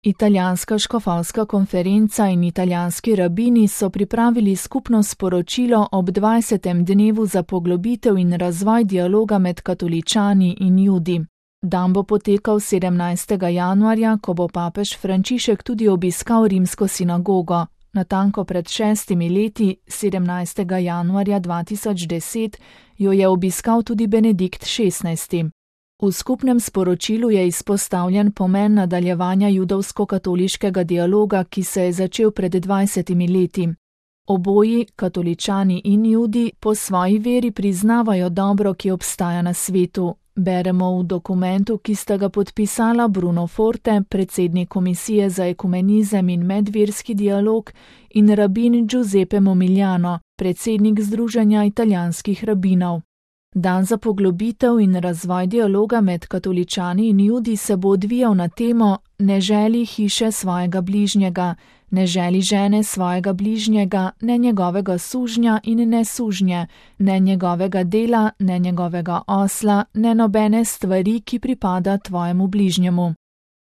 Italijanska škofovska konferenca in italijanski rabini so pripravili skupno sporočilo ob 20. dnevu za poglobitev in razvoj dialoga med katoličani in Judi. Dan bo potekal 17. januarja, ko bo papež Frančišek tudi obiskal rimsko sinagogo. Natanko pred 6 leti, 17. januarja 2010, jo je obiskal tudi Benedikt XVI. V skupnem sporočilu je izpostavljen pomen nadaljevanja judovsko-katoliškega dialoga, ki se je začel pred 20 leti. Oboji, katoličani in Judi, po svoji veri priznavajo dobro, ki obstaja na svetu. Beremo v dokumentu, ki sta ga podpisala Bruno Forte, predsednik Komisije za ekumenizem in medverski dialog, in rabin Giuseppe Momigliano, predsednik Združenja italijanskih rabinov. Dan za poglobitev in razvoj dialoga med katoličani in Judi se bo odvijal na temo Ne želi hiše svojega bližnjega, ne želi žene svojega bližnjega, ne njegovega sužnja in ne sužnje, ne njegovega dela, ne njegovega osla, ne nobene stvari, ki pripada tvojemu bližnjemu.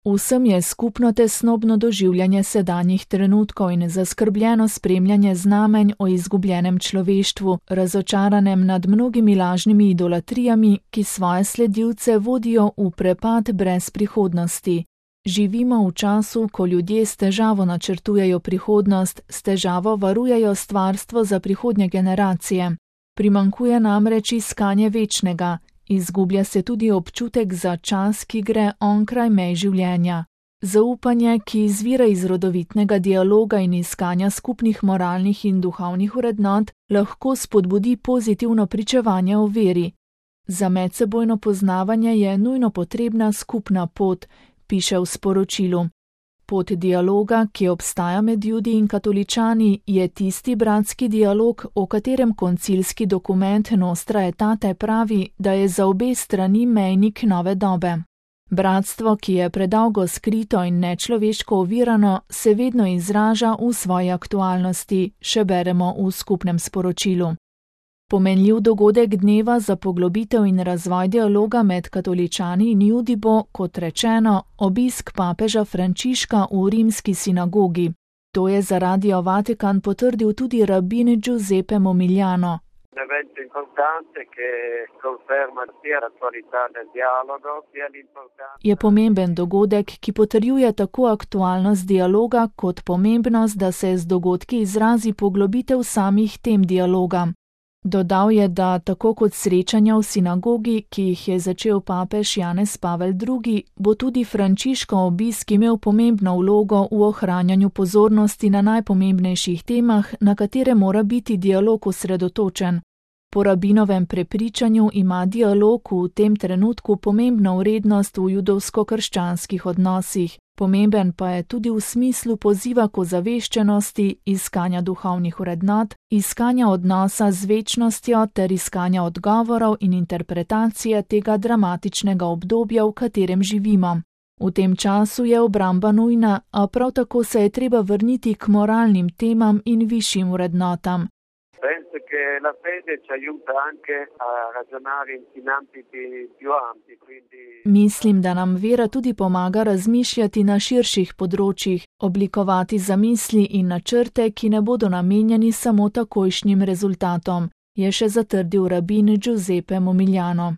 Vsem je skupno tesnobno doživljanje sedanjih trenutkov in zaskrbljeno spremljanje znamenj o izgubljenem človeštvu, razočaranem nad mnogimi lažnimi idolatrijami, ki svoje sledilce vodijo v prepad brez prihodnosti. Živimo v času, ko ljudje s težavo načrtujejo prihodnost, s težavo varujejo stvarstvo za prihodnje generacije. Primanjkuje namreč iskanje večnega. Izgublja se tudi občutek za čas, ki gre onkraj mej življenja. Zaupanje, ki izvira iz rodovitnega dialoga in iskanja skupnih moralnih in duhovnih vrednot, lahko spodbudi pozitivno pričevanje o veri. Za medsebojno poznavanje je nujno potrebna skupna pot, piše v sporočilu. Pot dialoga, ki obstaja med Judi in katoličani, je tisti bratski dialog, o katerem koncilski dokument Nostra Aetate pravi, da je za obe strani mejnik nove dobe. Bratstvo, ki je predolgo skrito in nečloveško ovirano, se vedno izraža v svoji aktualnosti, še beremo v skupnem sporočilu. Pomenljiv dogodek dneva za poglobitev in razvoj dialoga med katoličani in Judi bo, kot rečeno, obisk papeža Frančiška v rimski sinagogi. To je za Radio Vatikan potrdil tudi rabin Giuseppe Momigliano. Je pomemben dogodek, ki potrjuje tako aktualnost dialoga, kot pomembnost, da se z dogodki izrazi poglobitev samih tem dialoga. Dodal je, da tako kot srečanja v sinagogi, ki jih je začel papež Janez Pavel II., bo tudi Frančiškov obisk imel pomembno vlogo v ohranjanju pozornosti na najpomembnejših temah, na katere mora biti dialog osredotočen. Po rabinovem prepričanju ima dialog v tem trenutku pomembno vrednost v judovsko-krščanskih odnosih. Pomemben pa je tudi v smislu poziva k ozaveščenosti, iskanja duhovnih vrednot, iskanja odnosa z večnostjo ter iskanja odgovorov in interpretacije tega dramatičnega obdobja, v katerem živimo. V tem času je obramba nujna, a prav tako se je treba vrniti k moralnim temam in višjim vrednotam. Mislim, da nam vera tudi pomaga razmišljati na širših področjih, oblikovati zamisli in načrte, ki ne bodo namenjeni samo takojšnjim rezultatom, je še zatrdil rabin Giuseppe Momigliano.